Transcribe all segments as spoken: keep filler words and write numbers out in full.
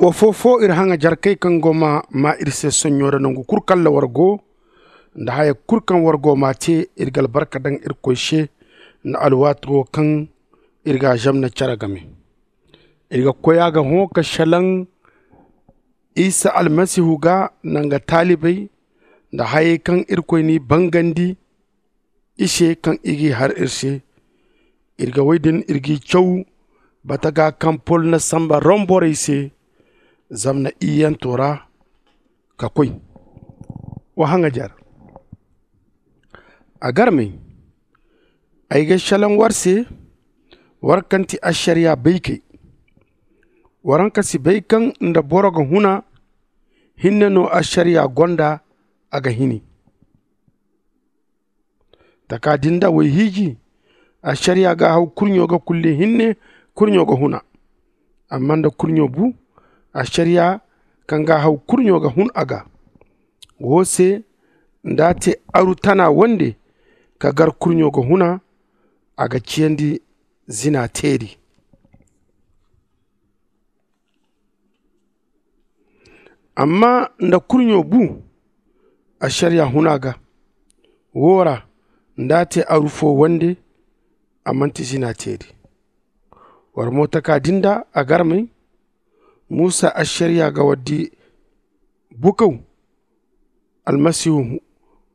Ofo-fo iri haŋajarkey kaŋ go ma maa iri se sonɲo ra nongu kul kaŋ ra war go, nda haya kul kaŋ war go ma a te. Iri ga albarka daŋ irkoy se nda alwaati wo kaŋ iri ga a zamna care game. Iri ga koy a ga hõ ka šelaŋ isa almasihu ga nda nga taalibey, nda hayey kaŋ irkoy n'i bangandi i se kaŋ i g'i har iri se. Iri ga wey din iri g'i caw bataga kaŋ pol na samba rom borey se, zamna iyyanto ra ka koy. Wa haŋajar. A garmey, ay ga šelaŋ war se, war kaŋ ti ašariya baykey. War haŋ ka si bay kaŋ nda boro ga huna hinne no ašariya gonda, a ga hini. Taka din da way hiiji, ašariya ga haw kurɲo ga kulli hinne kurɲo ga huna. Amma nda kurɲo bu, ašariya kaŋ ga haw kurɲo ga hun a ga. Wo se nda a te aru tana wande ka gar kurɲo ga huna, a ga ciyandi zina teeri. Amma nda kurɲo bu, ašariya huna ga. Wo ra nda a te aru fo wande, a manti zina teeri. War mo taka din da a garmey, musa ašariya ga war di bukaw almasihu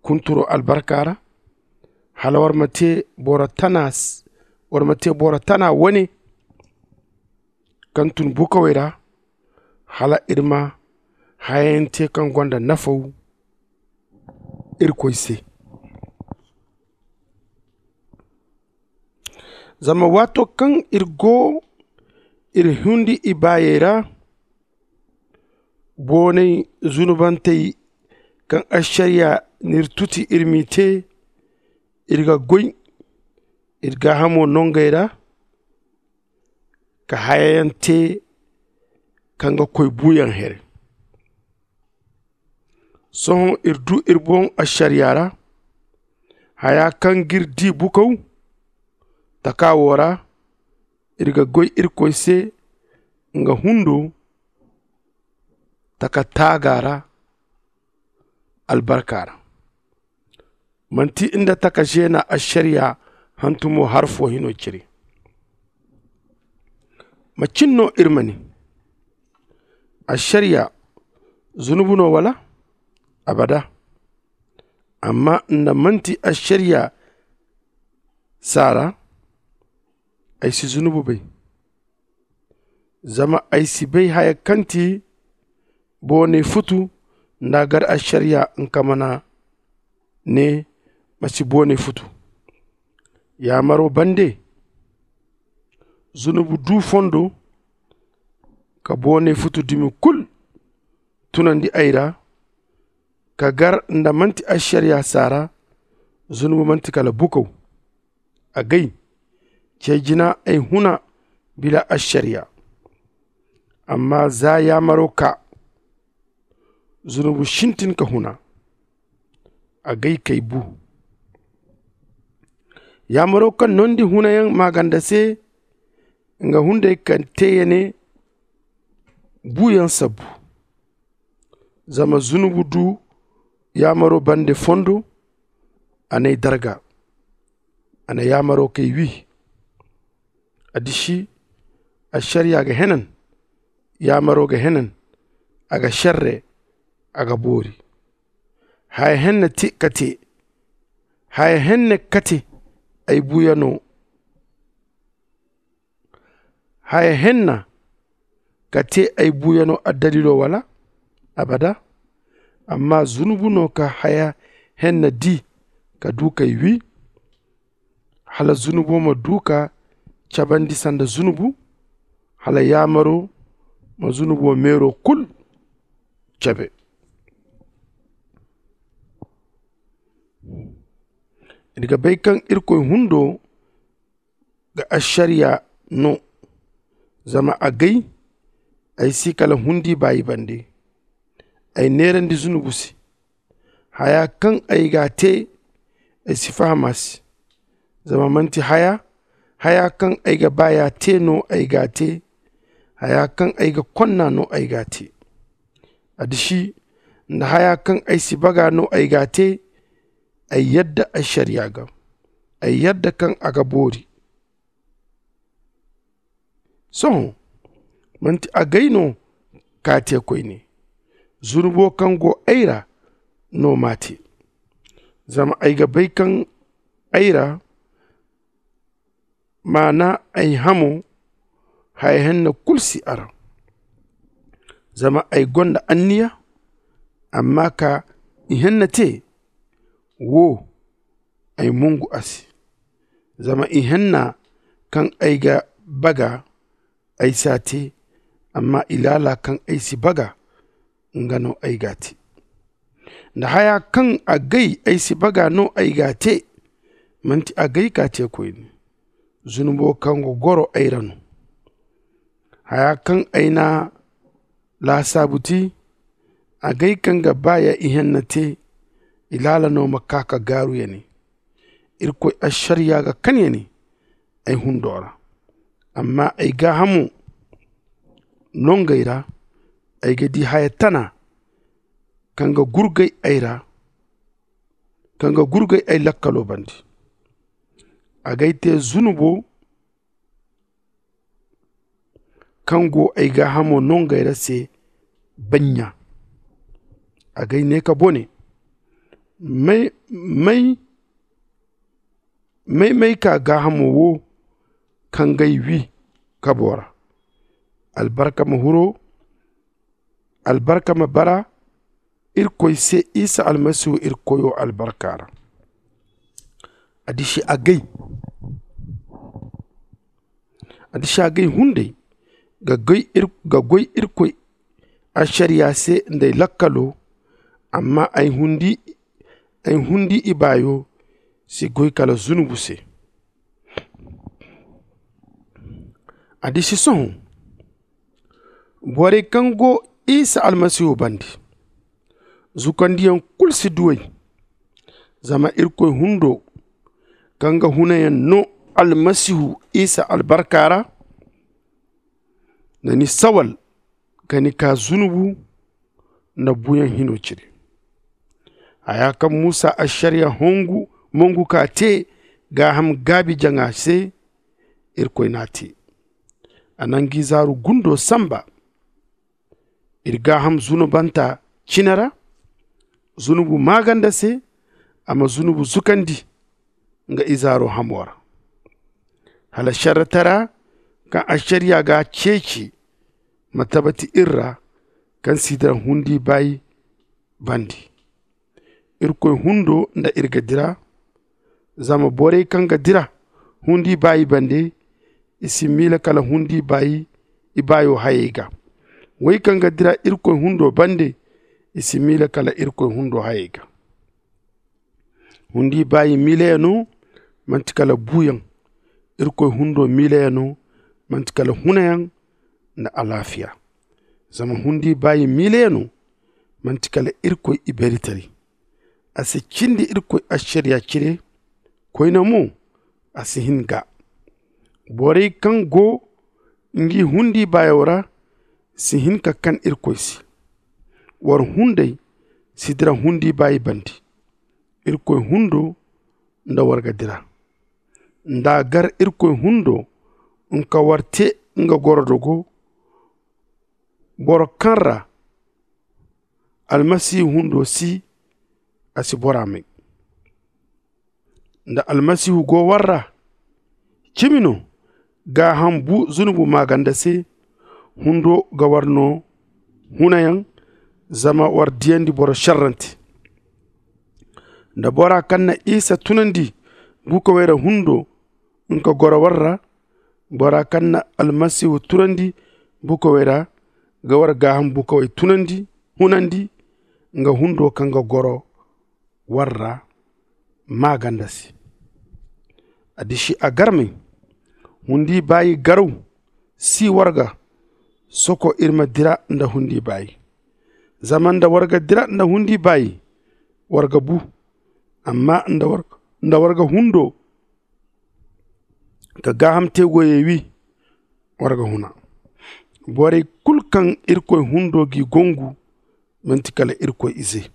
kunturo albarka ra, hala war ma te boro tana war ma te boro tana wane kaŋ tun bukawey ra, hala iri ma hayante kaŋ gonda nafaw irkoy se. Zama waato kaŋ iri go iri hundi ibaayey ra, boonay zunubantey kaŋ ašariya n'iri tuti iri m'i te, iri ga goy iri gaahamo nongey ra, ka hayayaŋ te kaŋ ga koy buuyaŋ here. Sohõ iri du iri boŋ ašariya ra, haya kaŋ g'iri di bukaw taka wo ra, iri ga goy irkoy se nga hundo taka taaga ra albarka ra. Manti nda taka zeena ašariya hantumo har fo hino cire. Macin no iri ma ne ašariya zunubu no wala? Abada. Amma nda manti ašariya saara, ay si zunubu bay. Zama ay si bay haya kaŋ ti boonay futu nda a gar ašariya nka mana ne ma si boonay futu. Yaamaro bande zunubu du fondo ka boonay futu dumi kul tunandi ay ra, ka gar nda manti ašariya saara. Zunubu manti kala bukaw. Agay, ce jina ay huna bila ašariya. Amma za yaamaro ka zunubu sintin ka huna. Agay kay bu. Yaamaro kaŋ nondi hunayaŋ maaganda se nga hunday kaŋ te ya ne buuyaŋ sabbu. Zama zunubu du yaamaro bande fondo, a n'ay darga. A na yaamaro kay wi. A disi ašariya ga henan, yaamaro ga henan, a ga šerre, a ga boori. Haya henna te ka te haya henna ka te ay buuyano. Haya henna ka te ay buuyano addalilo wala? Abada. Amma zunubu no ka haya henna di ka du kay wi, hala zunubo ma du ka cabandi sanda zunubu, hala yaamaro ma zunubo meero kul cabe. Iri ga bay kaŋ irkoy hundo ga ašariya no. Zama agay ay si kala hundi baayi bande. Ay neerandi zunubu se. Haya kaŋ ay ga a te ay si faham a se. Zama manti haya haya kaŋ ay ga baaya te no ay ga a te. Haya kaŋ ay ga konna no ay g'a te. Addiši nda haya kaŋ ay si baga no ay g'a te. Ay yadda ašariya ga. Ay yadda kaŋ a ga boori. Sohõ man'ti agay no k'a te koyne. Zunubo kaŋ go ay ra no m'a te. Zama ay ga bay kaŋ ay ra maana ay hamo haya henna kulu si a ra. Zama ay gonda anniya amma ka ihenna te. Wo ay mongu a se. Zama ihenna kaŋ ay ga baga ay si a te. Amma ilaala kaŋ ay si baga nga no ay g'a te. Nda haya kaŋ agay ay si baga no ay g'a te. Man'ti agay k'a te koyne. Zunubo kaŋ ga goro ay ra no. Haya kaŋ ay n'a laasaabu ti agay kaŋ ga baaya ihenna te. Ilaala no ma ka ka gaaru ya ne. Irkoy ašariya ga kan ya ne. Ay hundo ra amma ay gaahamo nongey ra. Ay ga di haya tana kaŋ ga gurgay ay ra. Kaŋ ga gurgay ay lakkalo bande. Agay te zunubo kaŋ go ay gaahamo nongey ra se. Baɲɲa agay ne ka bone may may may may ka gaahamo wo kaŋ g'ay wi kabo ra. Albarka ma huro albarka ma bara irkoy se isa almasihu irkoyo albarka ra. Addiši agay addiši agay hunday ga goy irkoy ašariya se nda ay lakkalo. Amma ay hundi ibaayo si goy kala zunubu se. Addiši sohõ borey kaŋ go isa almasihu bande zukandiyaŋ kulu si du ay. Zama irkoy hundo kaŋ ga hunayaŋ no almasihu isa albarka ra na ni sawal ka ni ka zunubu nda buuyaŋ hino cire. Haya kaŋ musa ašariya mongu ka te gaaham gaabi jaŋa se. Irkoy n'a te a na nga izaaru gundo sanba iri gaaham zunubanta cine ra. Zunubu maaganda se a ma zunubu zukandi nga izaaro hamo ra. Hala šerretara kaŋ ašariya g'a ceeci ma tabati iri ra kaŋ si dira hundi baayi bande. Irkoy hundo nda iri ga dira. Zama borey kaŋ ga dira hundi baayi bande i si miila kala hundi baayi ibaayo hayey ga. Wey kaŋ ga dira irkoy hundo bande i si miila kala irkoy hundo hayey ga. Hundi baayi miilayano man'ti kala buuyaŋ. Irkoy hundo miilayano man'ti kala hunayaŋ nda alaafiya. Zama hundi baayi miilayano man'ti kala irkoy ibeeritaray. A si cindi irkoy ašariya cire koyne mo a si hin ga. Borey kaŋ go ngi hundi baayo ra si hin ka kan irkoy se. War hunday si dira hundi baayi bande. Irkoy hundo nda war ga dira nda a gar irkoy hundo nka war te nga gorodogo. Boro kaŋ ra almasihu hundo si a si bora may. Nda almasihu go war ra cimi no gaaham bu zunubu maaganda se. Hundo ga war no hunayaŋ zama war diyandi boro šerrante. Nda bora kaŋ na isa tunandi bukawey ra hundo nga goro war ra. Bora kaŋ na almasihu tunandi bukawey ra ga war gaaham bukawey tunandi hunandi nga hundo kaŋ ga goro war ra maaganda se. Addiši agarmey hundi baayi garaw si war ga soko iri ma dira nda hundi baayi. Zama nda war ga dira nda hundi baayi war ga bu. Amma nda war ga hundo ka gaaham te goyey wi war ga huna. Borey kul kaŋ irkoy hundo g'i gongu, manti kala irkoy izey.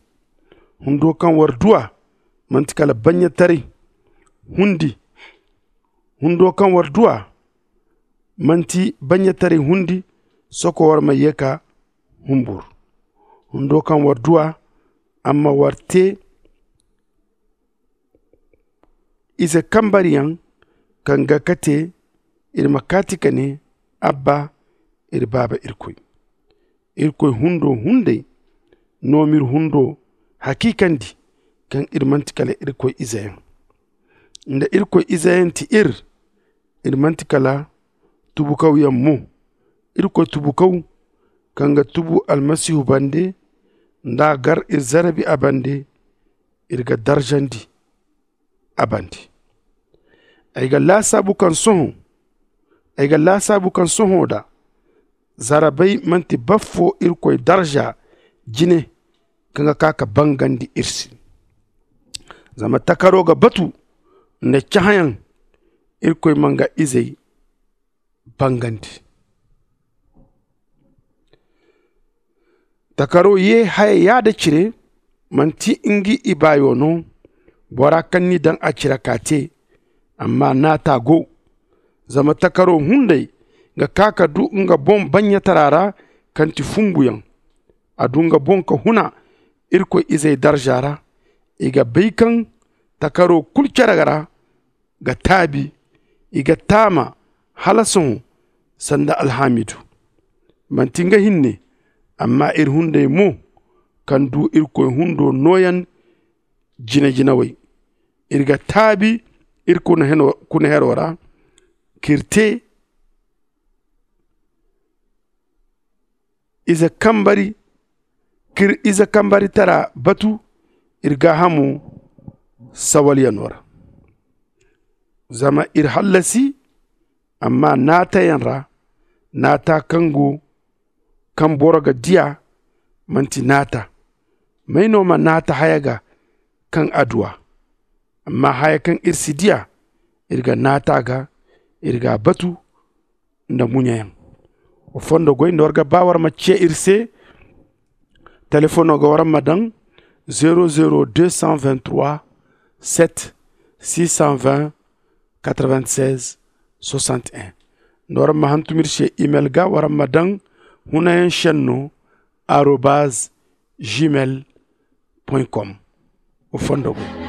Hundo kaŋ war du a, manti kala baɲɲataray hundi. Hundo kaŋ war du a, manti baɲɲataray hundi. Soko war ma ye ka humbur. Hundo kaŋ war du a, amma war te ize kambariyaŋ kaŋ ga kate, iri ma kaati ka ne, abba, iri baaba irkoy. Irkoy hundo hunday no m'iri hundo hakiikandi, kaŋ iri manti kala irkoy izeyaŋ. Nda irkoy izeyaŋ ti iri, iri manti kala tubukawyaŋ mo. Irkoy tubukaw kaŋ ga tubu almasihu bande, nd'a gar iri zarabi a bande, iri ga darzandi a bande. Ay ga laasaabu kaŋ sohõ ay ga laasaabu kaŋ sohõ da zarabay manti baffo irkoy darza jine, kaŋ ga ka ka bangandi iri se. Zama takaro ga batu nda cahãyaŋ, irkoy ma nga izey bangandi. Takaro ye haya yaada cire, manti ngi ibaayo no bora kaŋ n'i daŋ a cire ka te. Amma naata go. Zama takaro hunday ga ka ka du nga boŋ baɲɲatara ra, kaŋ ti fumbuyaŋ. A du nga boŋ ka huna irkoy izey darza ra. I ga bay kaŋ takaro kulu care ra ga taabi. I ga taama hala sohõ sanda alhaamidu. Manti nga hinne, amma iri hunday mo, kaŋ du irkoy hundo nooyaŋ jine-jinawey. Iri ga taabi iri kuna hero ra, k'iri te ize kambari k'iri ize kambaritara batu iri gaahamo sawalyaŋo ra. Zama iri hallasi amma naatayaŋ ra. Naata kaŋ go kaŋ boro ga di a, manti naata. May no ma naata haya ga kaŋ a du a? Amma haya kaŋ iri si di a, iri ga naata a ga, iri g'a batu nda muɲayaŋ. Wa fondo goy nda war ga ba war ma ce iri se. Telefoŋo ga war ma daŋ zero zero deux cent vingt trois sept six cent vingt quatre-vingt-seize soixante et un. Nda war ma hantum iri se imel ga war ma daŋ hunayaŋ senno arobaz gmail point com. Wa fondo goy.